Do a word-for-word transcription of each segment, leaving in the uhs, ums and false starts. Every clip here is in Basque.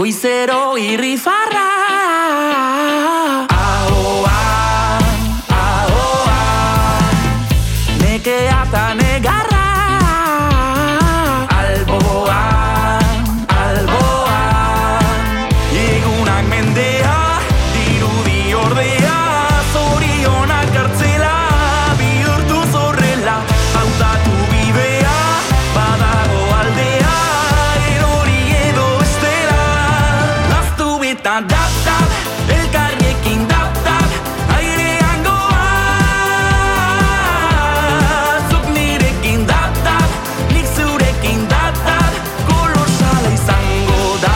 goizero irrifarra. Ahoan, ahoan, nekea eta negarra. Alboan, alboan, egunak mendea, dirudi ordea, zorionak kartzela, bihurtu zorrela, hautatu bidea, badago aldea, erori edo estela, laztu beta dap-dap, elkarriekin dap-dap, airean goa, zuk nirekin dap-dap, nik zurekin dap-dap, kolosala izango da.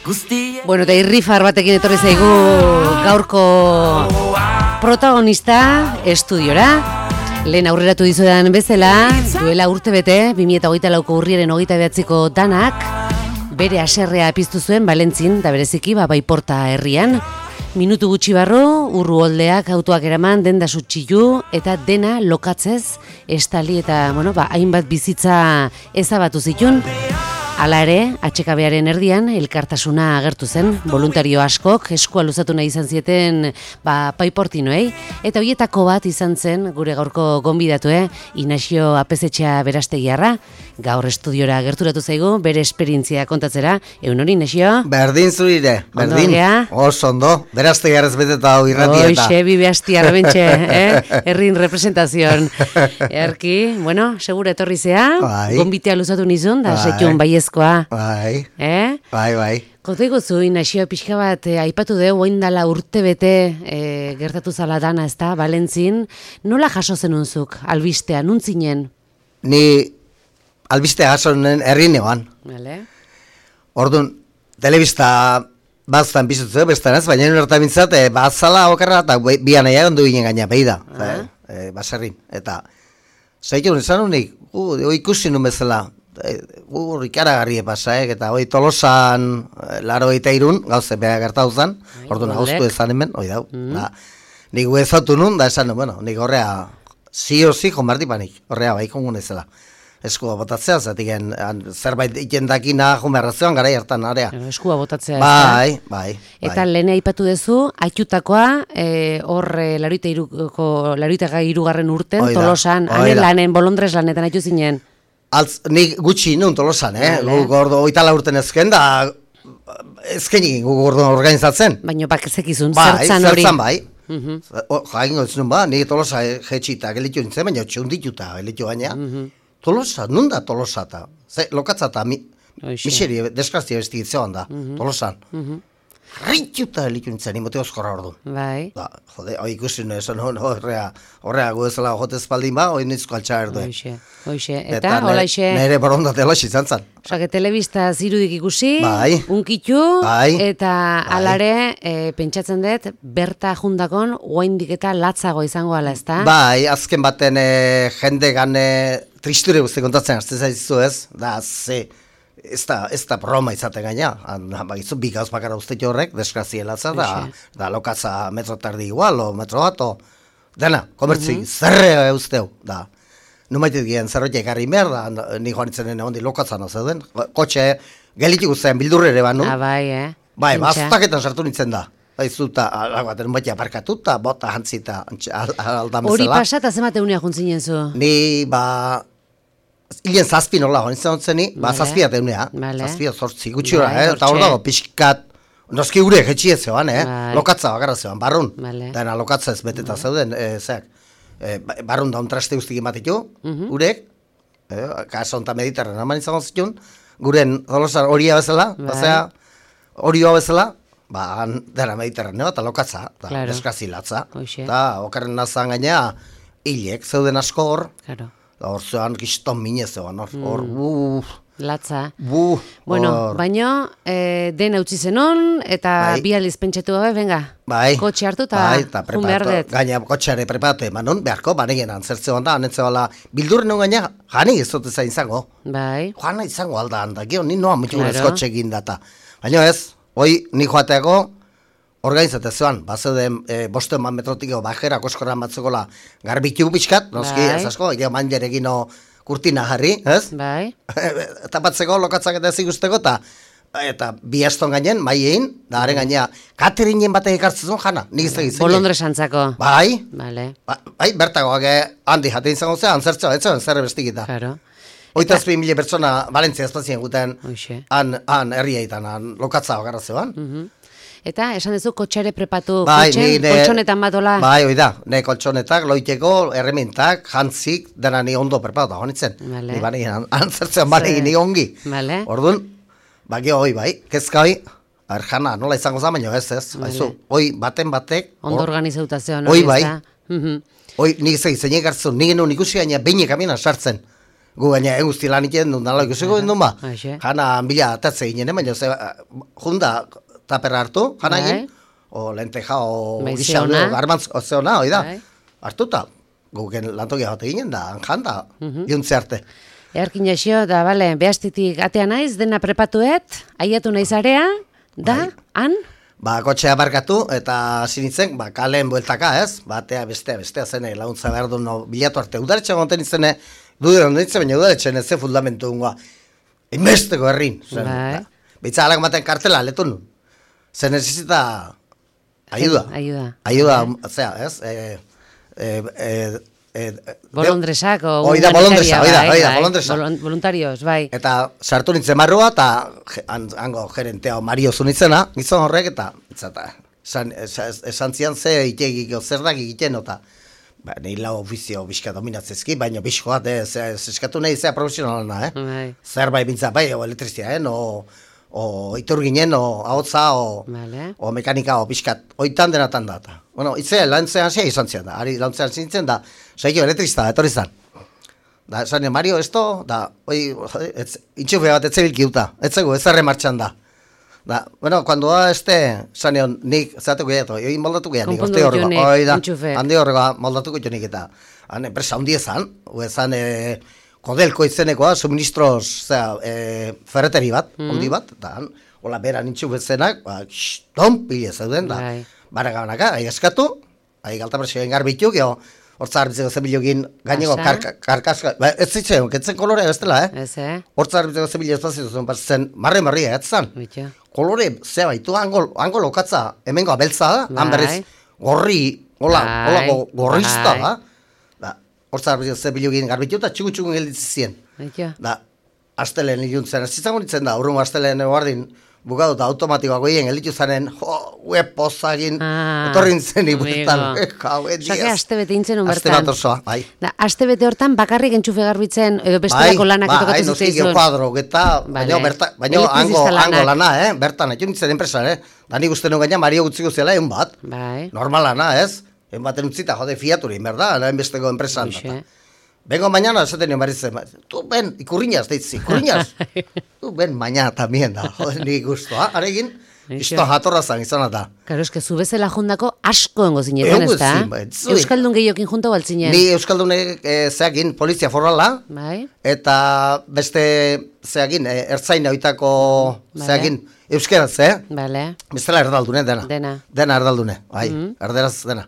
Guztia Bueno, eta irrifar batekin etorri zaigu gaurko protagonista estudiora. Lehen aurreratu dizudan bezala, duela urte bete, bi mila hogeita lauko urriaren hogeita behatziko danak, bere haserrea piztu zuen Valentzin, da bereziki, ba, Baiporta herrian. Minutu gutxi barru, urru holdeak autoak eraman, denda sutxilu, eta dena lokatzez, estali eta, bueno, ba, hainbat bizitza ezabatu zitun. Hala ere, atxekabearen erdian, elkartasuna agertu zen, voluntario askok, eskua luzatu nahi izan zieten, ba, Paiportinoei, eta hoietako bat izan zen, gure gaurko gonbidatue, Inaxio Apezetxea Berastegiarra, gaur estudiora gerturatu zaigu, bere esperientzia kontatzera, egun hori, Inaxio? Berdin zurire, berdin, oso ondo, Berastegiarrez beteta hau irratieta. Hoxe, bibe hastiar bentxe, eh? Errin representazion. Erki, bueno, segura etorri zea, bai. Gonbitea luzatu nizun, da Bai. setxun baiezkoa. Bai, Eh? bai, bai. Kote gozu, Inaxio, pixka bat, eh, aipatu deu, oin dala urte bete eh, gertatu zala dana, ez da, Valentzin, nola jaso zenunzuk, albistea, nuntzinen? Ni albistea jasonen errineoan. Vale. Orduan, telebista baztan bizutzu, bestan ez, baina nire mintzat, e, bazala okarra eta bian nahi egon du ginen gaina, behi da, Ah. e, baserrin. Eta, zaitu izan unik, uh, ikusi nun bezala, ur ikaragarri pasaek, eta hoi Tolosan laro eta irun, gauze beha gertatu zen, orduan aguztu ezan hemen, hoi dau. Mm. Da, nik ezautu nun, da esan, bueno, nik horrea, zio zi, jonbartipanik, horrea bai kongun ezela. Eskua botatzea, zatik zerbait ikendakina jonbarrazioan gara hartan area. Eskua botatzea. Bai, bai, bai. Eta lehen aipatu duzu, aitutakoa, e, hor e, laroita iruko, laroita irugarren urten, Oida, Tolosan, oida. hanen lanen, Bolondres lanetan aitu zinen. Altz, nik gutxi nun Tolosan, eh? Vale. Gu gordo oitala urten ezken, da ezkenik gu gordo organizatzen. Baina bak zekizun, Bai, zertzan hori. zertzan bai. Mhm. Jaingo ez nun ba, nik Tolosa jetxita gelitu nintzen, baina txundituta gelitu baina. Mhm. Tolosa, nun da Tolosa eta? Ze, lokatza eta mi, Hoxe. miseri, deskraztia bestigitzean da, Tolosan. Mhm. Rintxuta gelitu nintzen, imote oskorra ordu. Bai. Da, jode, hoi ikusi nuen, esan hon, horrea, horrea gu ezela jote espaldin ba, hoi nizko altxa erdue. Hoxe, hoxe. Eta, hola ixe, Nere borondate hola izan zan. osake, telebista zirudik ikusi, Bai. unkitu, Bai. eta Bai. alare, e, pentsatzen dut, berta jundakon, oaindik eta latzago izango ala, ezta? Bai, azken baten e, jende gane tristure guzti kontatzen hartzen zaizu ez, da, ze, ez da, ez da broma izaten gaina, bagizu, bi gauz bakara ustetu horrek, desgraziela da, da lokatza metro tardi igual, o metro bat, o, dena, komertzi, Mhm. zerre usteu, da. Numaitit gian zerrote ekarri behar, da, ni joan itzenen egon di lokatzan zeuden, kotxe, gelitik guztien bildurre ere banu, Ah, bai, eh? bai, Pentsa. baztaketan sartu nintzen da. Baizu eta, alabaten baita aparkatuta, bota jantzita, al, aldan bezala. Hori pasata zenbat egunea juntzinen zu? Ni, ba, hilen zazpi nola, hori zen ni, ba, Vale. zazpiat egunea, Vale. zazpiat zortzi gutxura, Bai, eh? Eta hor hortxe. dago, pixkat, noski gure jetxi ez zegoan, eh? Bai. Lokatza bakarra zegoan, barrun. Vale. Dena lokatza ez beteta zeuden, eh, zeak, eh, ba- barrun daun traste guztik ematitu, Mhm. urek, eh, kaso onta mediterran haman izango zitun, guren Tolosan horia bezala, Bai. bazea, horioa bezala, ba, han, dena mediterraneo eta lokatza, da, Claro. deskazilatza, Hoxe. eta okarren nazan gaina, hilek zeuden asko hor, Claro. da hor zean kiston minez zegoen, hor, hor, bu, Latza. bu, Bueno, hor. baino, eh, den utzi zenon, eta Bai. bi aliz pentsatu gabe, venga, Bai, kotxe hartu eta bai, eta jun behar preparatu, dut. gaina kotxeare preparatu emanon, beharko, banegen antzertzean da, anetzebala, bildurren non gaina, jani ez dut ezan izango, Bai, joana izango alda handa, gio, ni noa mutu Claro. gurez kotxe egin data. Baina ez, hoi, ni joateako, organizate zean, bazeuden e, boste eman metrotiko bajera koskoran batzekola garbitu pixkat, noski, Bai. ez asko, egin manjerekin o kurtina jarri, ez? Bai. Tapatzeko, lokatzak eta ez ikusteko, eta eta bi aston gainen, maiein, da haren gainea, Katerinen batek ekartzen zuen jana, nik ez egin. Bolondresantzako. Bai, Vale. ba, bai, bertagoak eh, handi jaten izango zen, antzertzoa, ez zen, zer bestikita. Claro. Oitazpi mila pertsona Valentzia espazien guten, Hoxe. han, han herriaitan, han lokatza bakarra zeban. Mhm. Eta esan duzu kotxere prepatu, Bai, kotxen, ni ne- koltsonetan batola. Bai, hoi da, ne koltsonetak, loiteko, erremintak, jantzik, dena ni ondo prepatu, honitzen. Vale. Ni bane, antzertzen bane, Ze- ni ongi. Vale. Orduan, baki hoi bai, kezka hoi, aber jana, nola izango za, baina ez ez, Vale. haizu, hoi baten batek, Ondo hor- organizauta zeon. Hoi hori, bai. ezta? Mhm. hoi nik zei, zeinek hartzen, nik genuen ikusi gaina behinek amina sartzen. Gu gaina eguzti lan iten duen, nala ikusiko egin duen ba. Haixe. Jana bila atatze ginen, baina ze, junda taperra hartu, jana Bai. egin, o lenteja, o Bai, gisa, zeona. o garmantz, o zeona, hoi da. Bai. Hartuta, guken lantokia bat eginen da, han da, Mhm. juntze arte. Earkin jaixo, da, bale, behastitik atea naiz, dena prepatuet, aiatu naiz area, da, Bai. han, Ba, kotxea barkatu eta sinitzen, ba, kalen bueltaka, ez? Batea, bestea, bestea zene, laguntza behar du no, bilatu arte. Udaretxe gonten izene, dudera ondo ditzen, baina udaretxen ez ze fundamentu dungoa. Inbesteko herrin. Zen, Bai. ba, Bitza alak maten kartela, letu nun. Ze necesita ayuda. Ayuda. Ayuda, zera, ez? E, e, e, e, bolondresak, o Hoi da, bolondresa, hoi da, hoi da, bolondresa. Voluntarios, bai. Eta sartu nintzen marrua, eta je- han- hango gerentea Mario zunitzena, gizon horrek, eta eta esan, esan, esan zian ze itegiko zer da egiten, eta ba, nahi lau ofizio bizka dominatzezki, baina bizko bat, ez, ez eskatu nahi zea profesionalana, eh? Bai. Zer bai bintza, bai, o elektrizia, eh? O, o iturginen, o ahotza, o, Vale. o mekanika, o bizkat, oitan denatan da. eta. Bueno, itzea, lantzean zea izan zian da, ari lantzean zintzen da, saiko elektrizista, etorri zan. Da, esan Mario, esto, da, oi, ez, intxufe bat etzebilki uta, etzego, ez erre martxan da. Da, bueno, cuando da este, esan nik, zateko gehiatu, oi moldatuko gehiatu, Konpondu orte horrego, ditunik, oi da, intxufeak. handi horrego moldatuko jonik eta, han enpresa hundi ezan, hu ezan, e, kodelko izenekoa, suministros, zera, e, ferreteri bat, hundi bat, eta han, hola beran intxufetzenak, ba, xton, pile zeuden, da, Bai. baragabanaka, ahi eskatu, ahi galtapresioen garbitu, geho, hortza harbitzeko zebilokin gaineko Asa. karka, karkaska, ba, ez zitzen, ketzen kolorea bestela, eh? Ez, eh? Hortza harbitzeko zebilio espazio zuen, zen, marre marria, ez zan. Bitxo. Kolore, zea baitu, hango, hango lokatza, hemengo abeltza da, han Bai. berriz, gorri, hola, Bai, holako gorrizta, bai. da. Da, hortza harbitzeko zebilokin garbitu eta txugu-txugu gelditzen zien. Bitxo. Da, astelen iluntzen, ez izango nintzen da, urrungo astelen guardin, bukatu eta automatikoak goien elitu zanen, jo, web pozagin, Ah, etorri nintzen ibuetan, amigo. jau, Osake, aste bete intzen un Aste bertan. bat osoa, bai. Da, aste bete hortan bakarrik entxufe garbitzen, edo bestelako lanak bai, etokatu noski zitzaizun. geokuadro, eta, baina, Vale. berta, baina hango, Elektrizista hango lanak. lana, eh? Bertan, etxun nintzen enpresan, eh? Da nik uste nuen gaina Mario gutziko zela egun bat. Bai. Normal lana, ez? Egun baten utzita, jode, fiaturin, berda? Lain besteko enpresan. Hoxe. data. Vengo mañana, esaten nion berriz zen, tu ben, ikurriñaz, deitzi, ikurriñaz. Tu ben, mañana tamien da, jode, nik guztua, aregin, Eixe. isto jatorra zan izan da. Karo, eske zu bezala jundako asko engo zineten, Egon ez da? zin, bai, zui. Euskaldun gehiokin junta baltzinen. Ni Euskaldunek e, zeakin polizia forala, Bai. eta beste zeakin, e, ertzaina oitako Vale. zeakin, euskeraz, eh? Bale. Bestela erdaldune, dena. Dena. Dena erdaldune, bai, Mhm. erderaz dena.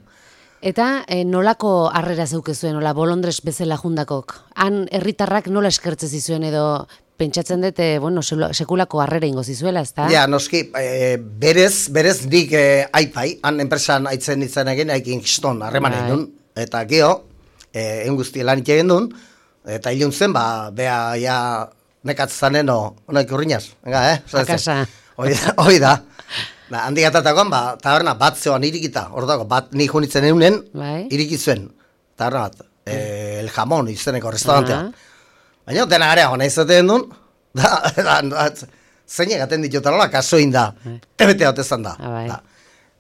Eta eh, nolako harrera zeukezuen, nola bolondres bezala jundakok? Han herritarrak nola eskertze zizuen edo pentsatzen dut, eh, bueno, selo- sekulako harrera ingo zizuela, ezta? Ja, noski, e, berez, berez nik e, aipai, han enpresan aitzen izan egin, aikin kiston, harreman egin Bai. duen, eta geho, e, egun guzti lan egin duen, eta hilun zen, ba, bea, ja, nekatz zanen, o, onak urrinaz, venga, eh? Zara zen. Akasa. Hoi da, hoi da. Da, handi gatatakoan, ba, taberna bat zeoan irikita, hor dago, bat nik junitzen eunen, Bai. iriki zuen, taberna bat, e, el jamon izeneko restaurantea. Ah. Baina, dena area hona izaten duen, da, da, da, zeinek aten ditut alola, kasoin da, tebete hau tezan da. Ah, bai. Da.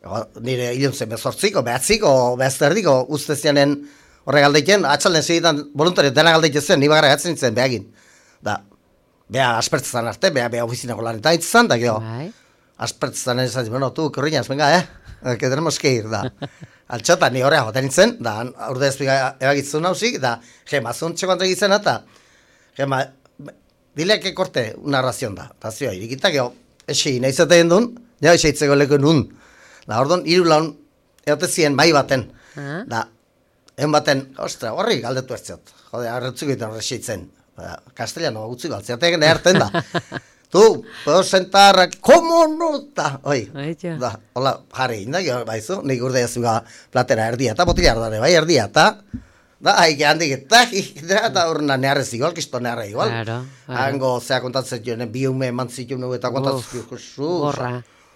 Ego, nire hilun zen bezortziko, behatziko, behazterdiko, uste zianen horre galdeiken, atxalden segitan voluntario dena galdeite zen, ni bagarra gatzen nintzen behagin. Da, beha aspertzezan arte, beha, beha ofizinako lanetan itzan, da, geho, Bai. aspertzezan esan, bueno, tu, korriñaz, venga, eh, que tenemos que ir, da. Altxota, ni horrea joten nintzen, da, aurde ezpiga ebagitzun hausik, da, gema, zuntxe kontra egitzen, eta, gema, dile que corte una ración da, eta zioa, irikita, geho, esi, nahi zaten duen, ja, eseitzeko leko nun. Da, orduan, hiru laun, egote zien, bai baten, Ah. da, en baten, ostra, horri galdetu ertzat. Jode, arretzuko eta horrexitzen. Ba, Castellano gutzi galtziatek neharten da. Tu, puedo sentar, ¿cómo no? Da, oi, Aitxo. da, hola, jarri, da, jo, baizu, nik urde jazuga platera erdia, eta botila ardare, bai, erdia, eta, da, haike handik, eta, da, da, urna neharrez igual, kisto neharra igual. Claro, claro. Hango, zea kontatzen joan, bi ume eman zituen eta kontatzen Uf, joan, gorra.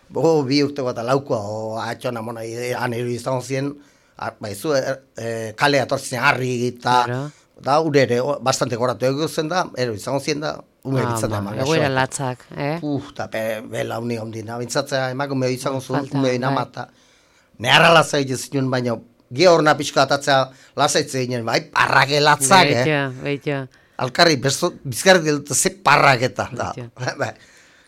Bo, bi urte bat laukoa, o, atxona mona, han eru izan zien, ar- baizu, er, e, kale atortzen harri eta, Claro. da, ure ere, o, bastante goratu egun zen da, ero izan zien da, ume bitzat da, Ama, egoera latzak, eh? Uf, eta be, bela uni ondina, bintzatzea emakume izango zuen, Falta, ume bai. inamata. Neharra lasai zinuen, baina gehorna pixka atatzea lasaitze ginen, bai, parrake latzak, eh? Beitxo, beitxo. Alkarri, bezo, bizkarri dut ze parraketa, da. Beitxo. Bai,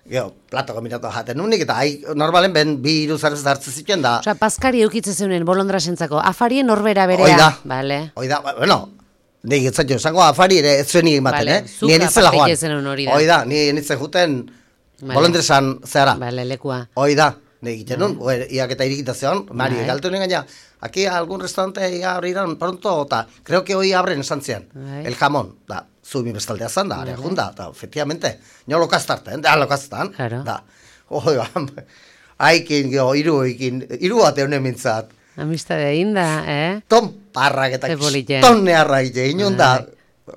Gero, plato kombinatu jaten unik, eta hai, normalen ben bi hiru zarrez hartzen zituen da. Osa, paskari eukitze zeunen bolondrasentzako, afarien norbera berea. Hoi da. Bale. Hoi da, ba, bueno, nik etzatio, esango afari ere ez zuen ematen, Vale, eh? zuk Ni enitzela aparte joan. zenuen hori da. Hoi da, ni enitzen juten Vale. bolondresan zehara. Bale, lekua. Hoi da, nik egiten nun, mm. iak eta irikita zeon, Mari, Bai. galtu nien gaina, aquí algún restaurante ya abrirán pronto, eta creo que hoy abren esan zian, Bai. el jamón, da, zumi bestaldea zan da, are junda, da, efectivamente, nio lokaztarten, da, lokaztan, Claro. da, hoi ba, haikin, geho, iru ekin, iru bat eunen mintzat, Amistade egin da, eh? ton parrak eta Ze polite. ton neharra ite, inun da,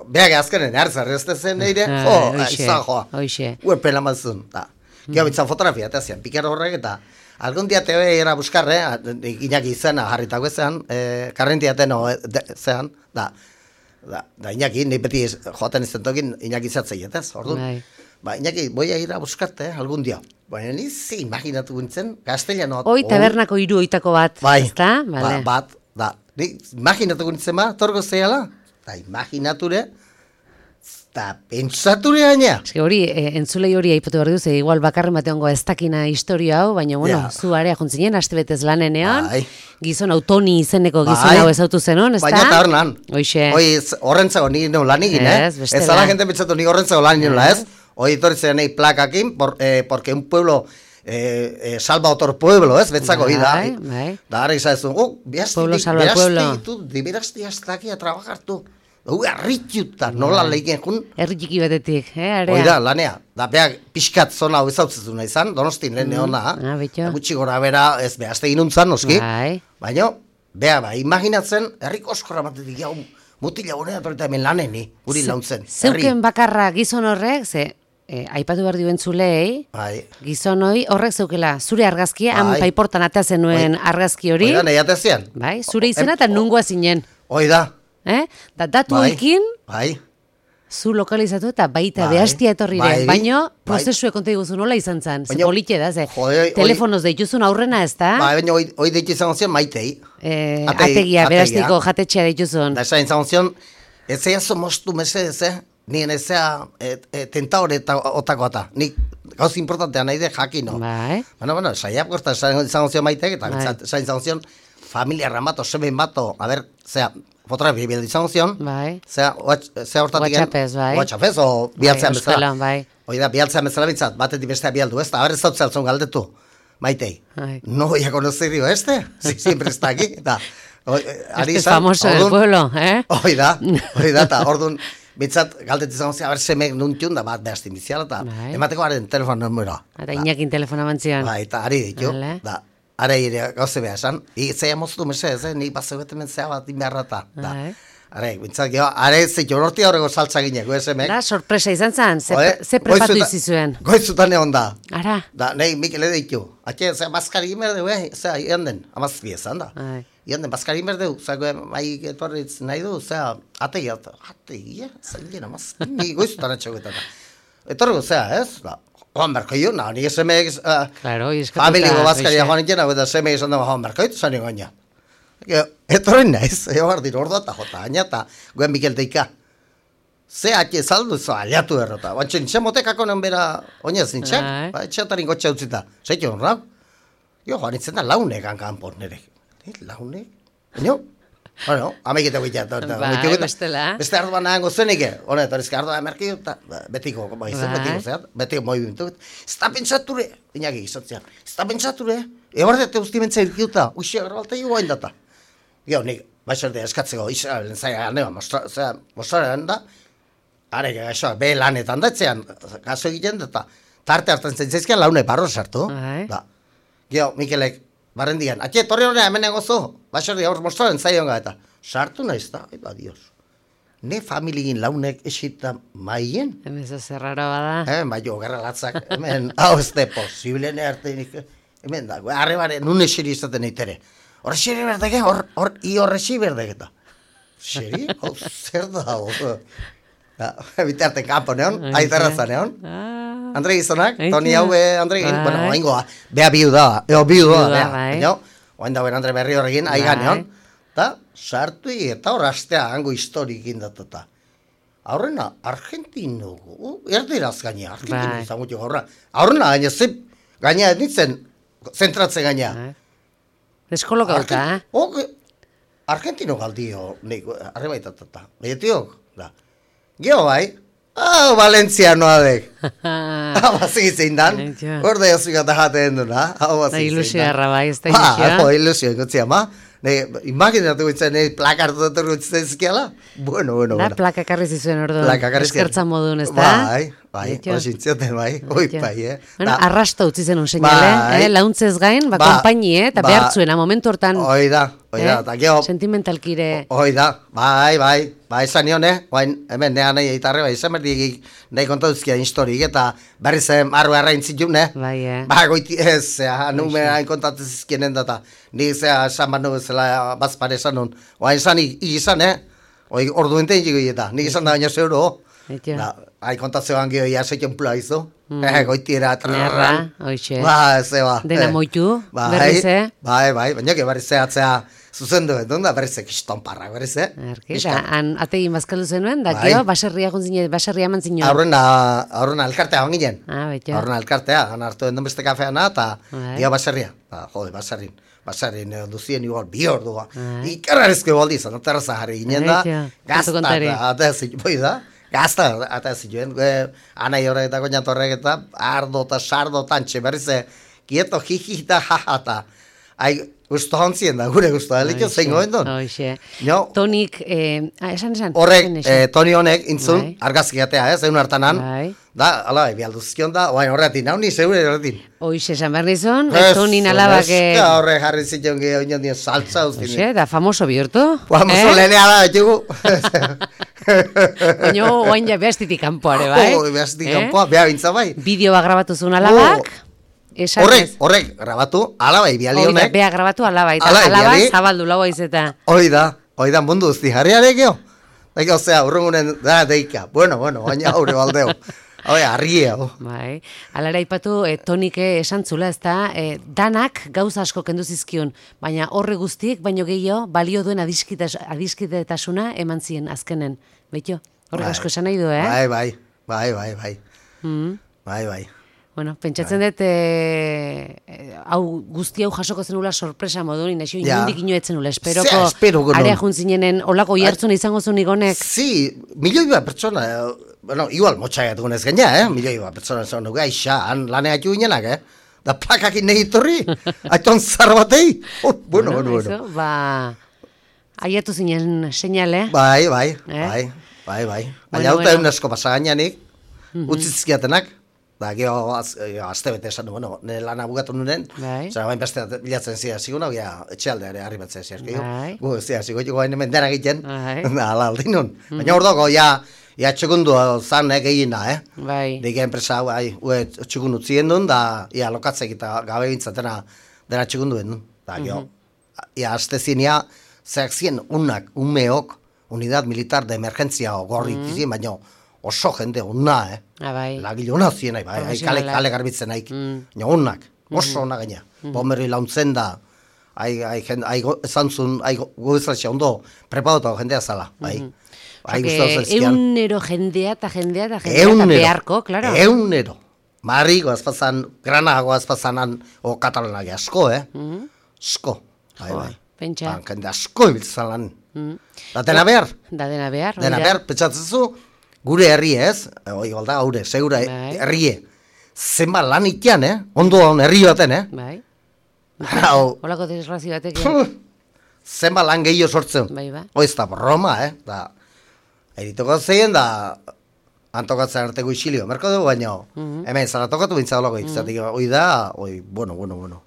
beak azkenen hartzar ez zen eire, Ai, jo, hoixe, izan joa, hoixe. uepen amazun, da, geho bitzan fotografia, eta zian, pikar horrek eta, algún dia te voy a ir a buscar, eh, Iñaki izena jarritako ezean, eh, karrentiaten o, de, zean, da, da, da Iñaki, ni beti joaten izan tokin, Iñaki zatzeietez, orduan. Bai. Ba, Iñaki, voy a ir a buscarte, eh, algún dia. Baina ni zi imaginatu gintzen, castellano. Hoi tabernako hiru oitako bat, Bai, ezta? ba, Bale. bat, da. Ni imaginatu gintzen ba, torgo zeiala, da imaginature, da pentsature gaina. Eske hori, e, entzulei hori aipatu behar duzu, igual bakarren bateango ez dakina historia hau, baina, bueno, Ja. zu area juntzinen, aste betez lanenean, Bai. gizon autoni izeneko gizon Bai. hau ezautu zenun, ezta? Baina eta hornan. Hoixe. Hoi, ez- horrentzago ni neu lan egin, eh? Ez, bestela. Ez ala gente pentsatu ni horrentzago lan egin, ez? Hoi etorritzen nahi plakakin, por, eh, porque un pueblo eh, eh, salva otro pueblo, ez? Betzako, Bai, da. bai. Da, ara izan oh, behazti, Pueblo salva el pueblo. tu, diberazti hasta aquí a trabajar tu. Hau, arrituta, nola lehiken jun. Herri txiki batetik, eh, area? Hoi da, lanea. Da, beak pixkat zona hau ezautzezuna izan, donostin lehen neona. ah, betxo. Da, gutxi gora bera, ez behazte inuntzan, noski. Bai. Baina, bea, ba, imaginatzen, herriko oskorra batetik jau, mutila gonea, eta hemen laneni, guri launtzen. Zeuken bakarra gizon horrek, ze, eh, aipatu behar duen zulei, Bai. gizon hoi horrek zeukela, zure argazkia, han Bai. paiportan atea zenuen argazki hori, Hoi da, nahi atezian. bai, zure izena eta nungoa zinen, Hoi da. eh? Da datu Bai. ekin, Bai. zu lokalizatu eta baita Bai. behastia etorri Bai. den, baino Bai. prozesue konta iguzu nola izan zen, ze Baina- politxe da, ze Jode, hoi- telefonoz deituzun aurrena ez da, Ba, baina hoi, hoi deitu izan zion maitei. eh, Ategi- ategia, ategia. berastiko jatetxea deituzun. Da, esan izan zion, ez zeia mostu mesedez, eh? Nien ez zea e, e, tentaore eta otako eta. Nik gauz importantea nahi de jakino. Bai. Bueno, bueno, saiap gorta esan izan zion maitek, eta Bai. bintzat esan izan zion, familia ramato, semen bato, a ber, zea, fotografia bildu izan zion, Bai. zea, watch- zea hortatik... WhatsAppez, bai. WhatsAppez, o bialtzean Bai, bezala. euskalan, bai. Hoi da, bialtzean bezala bintzat, batetik bestea bialdu, ez da, a ber ez dautzea altzun galdetu, maitei. Bai. No voy a conocer, digo, este, si siempre está aquí, eta... oi, eh, ari Este es izan, famoso del orduan- pueblo, eh? Hoi da, hoi da, eta orduan, bintzat, galdetu izan zea, a ber, semek nuntxun da, bat behazti iniziala, eta Bai. emateko haren telefon numeroa. Eta Iñakin telefona mantzian. Ba, eta ari ditu, Vale. da, are ire gauze behar esan, zeia moztu mesedez, eh, nik bat zebeten zea bat inbeharrata, da. Bai. Are, bintzat, geho, are zitu, horti horrego saltza gineko, esemek. Da, sorpresa izan zen, ze, Jode, ze prepatu goizuta- izizuen. Goizutan egon da. Ara, Da, nahi, Mikel ditu. Atxe, zea, bazkari imerdeu, eh? Zea, ian den, amazbi esan da. Ai. Ian den, bazkari imerdeu, zea, bai, etorritz nahi du, zea, ategia, ategia, zea, gien, amazbi, ni goizutan atxegoetan da. Etorriko, zea, ez? Da, joan berko jo, na, ni esemek, uh, Claro, hoi eskatuta, familiko bazkaria hoxe. joan ikena, eta esemek esan da, joan berko ditu, zan egoina. Etorri naiz, ego bardin ordoa eta jota, aina, eta goen Mikel deika. Ze atxe saldu, zo, aliatu errota. Bantxe, nintzen motekako nen bera, oinez nintzen, Ai. ba, etxeatarin gotxa utzita. Zaitu honra? Jo, joan nintzen da launek hankan nire. Ni, launek? Baina, bueno, amekite guitea. Bai, bestela. Beste arduan nahango zenike. Hone, eta erizka arduan emerki, eta betiko, bai, zen, Bai. betiko, zeat, betiko movimentu. Ez da pentsature, inaki izatzean, ez da pentsature. Ebardete guzti mentza irkiuta, uxi, agarbalte jo guain data. Gio, nik, baixerde eskatzeko Israelen zaila ganea, mostraren da, are gaixoak, be lanetan datzean, gaso egiten da, eta tarte hartzen zentzaizkian laune barro sartu. Da. Gio, Mikelek, barren digan, atxe, torri horrean hemen egozu, baixerde aur mostraren zaila eta sartu naiz da, eba dios. Ne familigin launek esita maien. Hemen ez zerrara bada. Eh, bai, jo, gerra latzak, hemen, hau ez de posible ne artenik, hemen da, arrebare, nun esiri izaten eitere. Horre xeri berdege, hor, hor, i horre xeri berdege eta. Xeri? Hau, zer da, hau. Bitarte kampo neon, aitarraza neon. Andre gizonak, Toni hau, Andre egin, bueno, oaingoa, beha biu da, eo biu da, beha. Oain dauen Andre berri horregin, aiga neon. Eta, sartu eta hor astea hango historik indatuta. Aurrena, Argentino, erderaz gaina, Argentino izan gutio gaurra. Aurrena, gaina, zep, gaina nintzen, zentratzen gaina. Deskolokauta, eh? Argentino galdio, arrebaitatata. Betiok, da. Gio bai, hau Valentzianoa dek. Hau bazik zein dan, orde jozik eta jaten duna. Ilusio harra bai, ez da ilusioa. Ba, ilusio ikutzia ma. Imaginatu gutzen, plaka hartu dut gutzen ezkiala. Bueno, bueno, bueno. Da, plaka karri zizuen orduan. Eskertza modun, ez da? Bai, bai, osintzioten, bai. Oi, bai, eh. Bueno, arrasta utzi zen un seinale, launtzez gain, ba, kompaini, eh, eta behartzuena, momentu hortan. Oi da, oi da, eta geho. Sentimentalkire. Oi da, bai, bai, bai, esan nion, eh, bain, hemen nean nahi eitarre, bai, esan berdik nahi kontauzkia historik, eta berri zen arru errain zitun, eh. Bai, eh. Ba, goiti ez, nume hain kontatuz izkienen data, nik zea esan banu bezala bazpare esan nun, oain esan izan, eh, oi, ordu enten jiko eta, nik izan da baina zeuro, hain kontatzeoan geho ia zeiken pula izo, goiti era, nerra, oixe, ba, ze ba, dena moitu, berrize, bai, bai, baina que berrize atzea, zuzendu edo, da berrize kiston parra, berrize. Erki, da, han ategin bazkaldu zenuen, da, gero, baserria guntzine, baserria eman zinuen. Aurrena, aurrena elkartea hon ginen. Ah, beto. Aurrena elkartea, han hartu den beste kafeana, eta dia baserria. Ba, jode, baserrin. Baserrin duzien igual bi ordua. Ikarrarezko baldi izan, terraza jarri ginen da. Gazta, eta boi da. Gazta, eta zituen. Anai horretako jantorrek eta ardo eta sardo tantxe, berrize, kieto jijita jajata. Ai, gusto hontzien da, gure gusto, elikio zein goen duen. Oixe. Tonik, esan esan? Horrek, Toni honek, intzun, argazkiatea, ez, egun hartanan. Da, ala, bialduzkion da, oain horretin, hau ni zeure horretin. Oixe, esan behar nizun, Tonin alabak... Eska horre jarri zitzen gehiago inoen dien saltza uztin. Oixe, da famoso bihurtu. Famoso lehenea da, etxugu. Oino, oain ja behastitik kanpoare, bai? Oh, behastitik kanpoa, beha bintza bai. Bideo bat grabatu zuen alabak. Horrek, horrek, grabatu, alabai biali honek. Bea grabatu alabai, eta alabai zabaldu lau aizeta. Hoi da, hoi da, mundu uzti jarri arekeo. Eko, zea, urrungunen, da, deika. Bueno, bueno, baina haure baldeo. Hau, arria, ho. Bai, alara ipatu, e, Tonike esan zula, ez da, e, danak gauza asko kendu zizkion, baina horre guztiek, baino gehiago, balio duen adiskidetasuna eman zien azkenen. Beito, horrek asko esan nahi du, eh? Bai, bai, bai, bai, bai. Mm. Bai, bai. Bueno, pentsatzen dut, e, hau guzti hau jasoko zenula sorpresa modu, inaxio, inundik inoetzen nula, esperoko area juntzinenen, olako jartzuna izango zunik honek? Si, milioi bat pertsona, bueno, igual motxaiat gunez gaina, eh? Milioi bat pertsona zan dugu, aixa, han laneak juinenak, eh? Da plakakin nahi torri, aiton zar batei. Oh, bueno, bueno, bueno. Ba, aiatu zinen seinale. Bai, bai, bai, bai, bai. Baina hauta egun asko pasagainanik, utzizkiatenak. Da, geho, azte bete esan du, bueno, nire lana bugatu nuren, zara bain beste bilatzen zira zigun, hau, etxealde ere harri batzen zira, gu, zira, zigo, gu, hain hemen dena egiten, ala, aldi nun. Baina hor dago, ja, ja, txegundu zan egin da, eh? Bai. Dike enpresa, bai, ue, txegun utzien duen, da, ia, lokatzek eta gabe bintzatena, dena txegunduen duen. Da, geho, ia, azte zien, ia, zeak zien, unak, umeok, unidad militar de emergentzia gorri tizien, baina, oso jende unna, eh? Bai. Lagile unna zien, bai, kale, kale garbitzen haik. Baina unnak, oso unna gaina. Bomberri launtzen da, esan zuen, goizatxe ondo, prepadotago jendea zala, bai. Eunero jendea eta jendea eta jendea eta beharko, klaro. Eunero. Marri goazpazan, grana goazpazanan, o katalanak asko, eh? Asko, bai, bai. Pentsa. Jende asko ibiltzen lan. Da dena behar. Da dena behar. Dena behar, pentsatzen zu, gure herri ez, oi balda, gaure, segura herrie, zenba lan itian, eh? Ondo herri baten, eh? Bai. Hau. Olako desgrazio batek. zenba lan gehiago sortzen. Bai, ba. Hoi ez da broma, eh? Da, eritoko zeien da, antokatzen arteko isilio, merko dugu baina, hemen zara tokatu bintzagolako izatik, hoi da, hoi, bueno, bueno, bueno.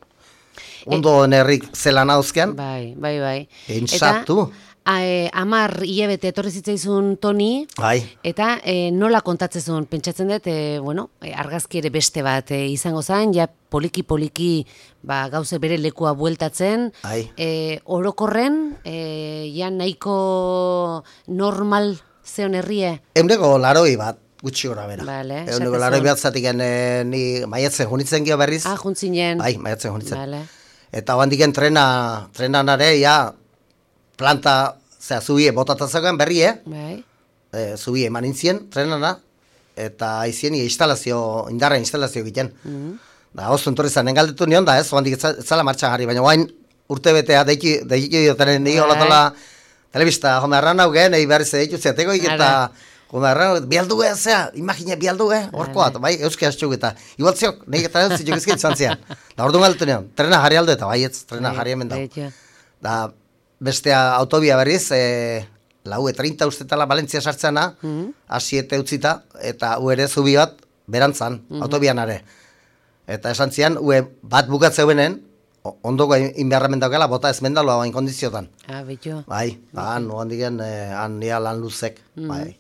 Ondo nerrik zelan hauzkean, Bai, bai, bai. Pentsatu. Eta, e, amar hilabete etorri zitzaizun Toni, bai, eta e, nola kontatzezun, pentsatzen dut, e, bueno, e, argazki ere beste bat e, izango zen, ja poliki-poliki ba, gauze bere lekua bueltatzen, bai. e, orokorren, e, ja nahiko normal zeon herrie. Euneko laroi bat, gutxi gora bera. Vale, Euneko esaten laroi zuen. bat zatik e, ni maiatzen junitzen gio berriz. Ah, juntzinen. Bai, maiatzen junitzen. Vale. Eta handiken trena, trenan are, ja, planta, zera, zubie botatazioan berri, eh? Bai. E, zubie eman intzien, trenana, eta aizien instalazio, indarra instalazio egiten. Mm. Da, oso entorri zen, engaldetu nion da, ez, handik ez zala martxan jarri, baina guain urte betea, deiki, deiki dioten, nire Bai. olatola, telebista, jome arran hau gen, egin behar ze ditu zeateko, eta jome arran, bialdu eh, zera, imagine, bialdu eh, horkoa, bai, euski hastxuk eta, igual ziok, nahi eta ez ziok ezkin izan zian. Da, orduan galdetu nion, trena jarri aldo eta, bai, ez, trena Bai, jarri hemen da. betxo. Da, bestea autobia berriz, e, lau e treinta ustetala Valentzia sartzena, Mhm. asiete utzita, eta u ere zubi bat berantzan, autobian are. Eta esan zian, ue bat bukatzeuenen, o- ondoko inbeharramen daukela, bota ez mendaloa bain kondiziotan. Ah, betxo. Bai, ba, han, no handigen, eh, han nia lan luzek, bai.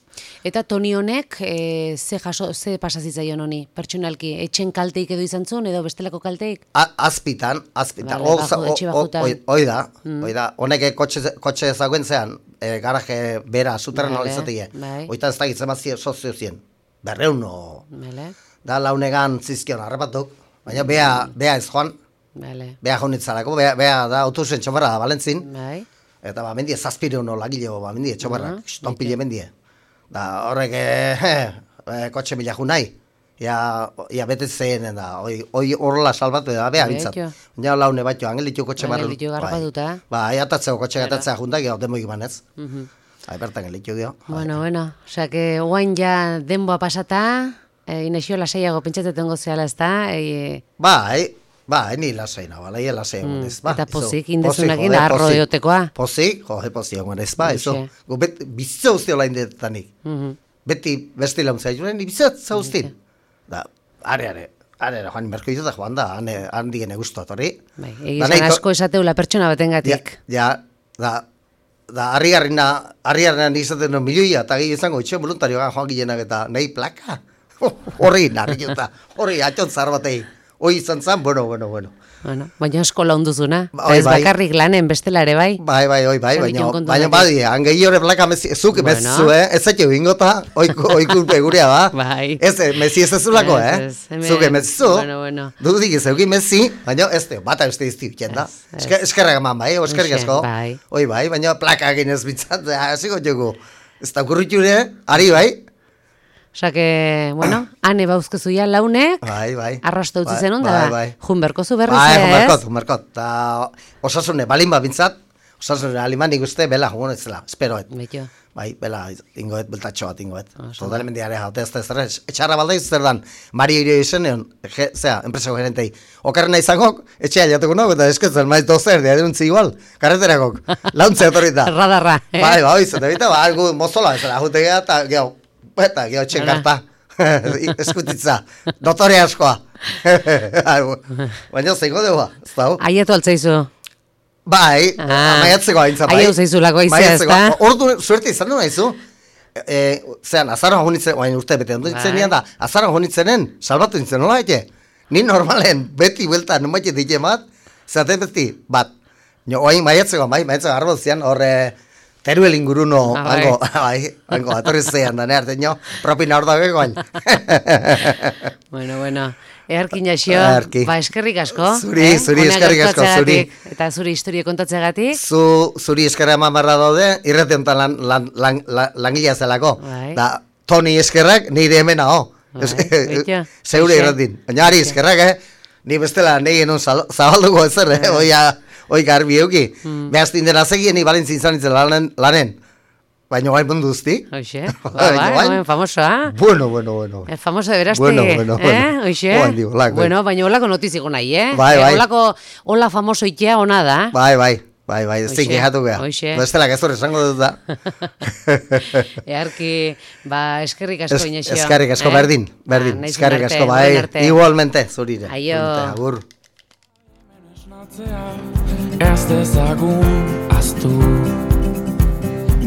Eta Toni honek, e, ze jaso, ze pasazitzaion honi, pertsonalki, etxen kalteik edo izan zuen, edo bestelako kalteik? A, azpitan, azpitan, Vale, o- bajo- o- etxe o- bajutan. oi- oi da, oi da, honek kotxe, kotxe ezagoen zean, e, garaje bera, suterren Vale, nola izatea. bai. Oita ez da gitzen mazio sozio zien, berreun no, Vale, da launegan zizkion harrapatuk, baina bea, bea ez joan, vale, bea jaunitzarako, bea, bea da autobusen txomarra da Valentzin, bai. eta ba, mendie zazpire uno lagileo, ba, mendie txomarra, Ah, stonpile mendie. Da, horrek, eh, eh, kotxe mila junai, ja, ja bete zeenen da, hoi, hoi horrela salbatu da, bea bintzat. Betxo. Baina laune batio, angelitu kotxe barru. Angelitu garrapatuta. Ba, aiatatzeko kotxe gatatzea juntak, gero demo ibanez. Hai, bertan angelitu dio. Bueno, bueno, osea, que guain ja denboa pasata, e, inexio lasaiago pentsatzen gozeala, ez da? E, Bai, bai, ni lasai nago, laia lasai egon ez, ba. eta izo. pozik, indezunakin Pozik, arro pozik. diotekoa. Pozik, joe, pozik egon ez, ba, izo. Hoxe. Gu bet, bizitza guzti olain detanik. Mhm. Beti beste launtzea juren, bizitza guztin. Da, are, are, are, are, joan, merko ditu da joan da, hane, handi gene guztu atorri. Bai, Da, egizan nahiko- asko esateula pertsona Ja, batengatik. ja, da, da, harrigarrina, harrigarrina izaten no milioia, eta gehi izango, itxen voluntarioa joan gilenak eta, nahi plaka. Horri, narri juta, horri, atxon zahar batei. Hoi izan zan, bueno, bueno, bueno. Bueno, baina asko launduzuna. Ba, Eta bai, ez bai. bakarrik lanen bestela ere bai. Bai, bai, oi, bai, Zer baina, ditu kontu baina honetik? badi, hangehi hori plaka mezi, zuk Bueno. mezu, eh? Ez zaitio bingota, oiko, oikulpe gurea ba. Bai. Ez, eh, mezi ez ezulako, Ez, eh? ez, hemen- Zuk emezu, Bueno, bueno. dudik ez euki mezi, baina ez te, bata beste izti uken da. Ez, ez. Esker- Eskerrak eman, bai, eskerrik Hoxe, asko. bai. Oi, bai, baina plaka egin ez bitzat, hasiko jogu. Ez da kurriture, ari, bai? Osea que, bueno, ane bauzkezu ja launek, Bai, bai. arrasto utzi Bai, zenun, bai, da, bai. junberko zu berriz, Bai, ez? jumerkot, jumerkot. Ta osasune, balin bat bintzat, osasune aliman ikuste, bela, jugun ez zela, esperoet. Betxo. Bai, bela, ingoet, beltatxo bat ingoet. Oso. Totalmente are jaute ez da ez da, etxarra balda zer dan, Mario Irio izenean, je, zera, enpresako gerentei. Okarrena izango, etxea jatuko nago, eta esketzen, maiz dozer, dia denuntzi igual, karreterakok, launtzea etorrita. Radarra, eh? Bai, bai, izate bita, ba, algu mozola, ez da, jute geha, eta geho, eta geho etxen Hala. karta. Eskutitza, dotore askoa. Baina zeiko dugu, ez da, hu? Aietu altzaizu. Bai, Ah, maiatzeko haintza, bai. aiau zaizulako aizea, Maiatzeko. ezta? Ordu, suerte izan du naizu. E, zean, azaroan honitzen, oain urte bete, ondo ditzen Bai. nian da, azaroan honitzenen, salbatu nintzen, nola ete? Ni normalen, beti buelta, no maite dite bat, zate beti, bat. No, oain maiatzeko, bai, maiatzeko arbo zian, horre, teruel inguruno, Ah, bai. hango, bai, hango, atorri zean, da, nearte, nio, propina hor da begoain. Bueno, bueno. Earkin jaxio, Earki. ba eskerrik asko. Zuri, zuri, Honak eskerrik asko, gauzatzeagatik, zuri. Eta zuri historia kontatzeagatik. Zu, zuri eskerra eman barra daude, irrati honetan lan, lan, lan, lan, langilea zelako. Bai. Da, Toni eskerrak, nire hemen hau. Bai, betxo. Zeure Hoxe. irratin. Baina ari eskerrak, eh? Ni bestela nahi genuen zal- zabalduko ezer, Bai. eh? Oia, oi garbi euki. Hmm. Behaztin dena zegien, ni balentzin izan nintzen lanen, lanen. Baina gai mundu uzti. Hoxe, ba, Baina ba, bai. hemen famosoa. Bueno, bueno, bueno. El famoso de Beraste, Bueno, bueno, eh? bueno. Hoxe? Oan digo, lako, Bueno, baina holako notiziko nahi, eh? Bai, Eh, bai. Holako, hola famoso itea ona da. Bai, bai. Bai, bai, ez Hoxe, zinkehatu geha. hoxe. Bestela gezur esango dut da. Earki, ba, eskerrik asko Es- Iñexio. Eskerrik asko, eh? berdin, berdin. Ba, naizun Eskerrik arte, asko, horren bai. arte. Igualmente, zurire. Aio. Zurite, agur. Ez dezagun aztu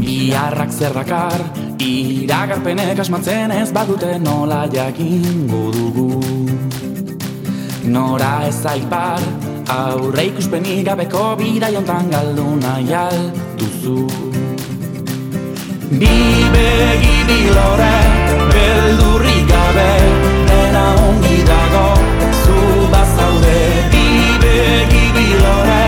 Biharrak zer dakar Iragarpenek asmatzen ez badute nola jakingo dugu Nora ez aipar Aurre ikuspenik gabeko bidai hontan galdu nahi alduzu Bi begi bilore Beldurrik gabe Dena ongi dago Zu bazaude Bi begi bilore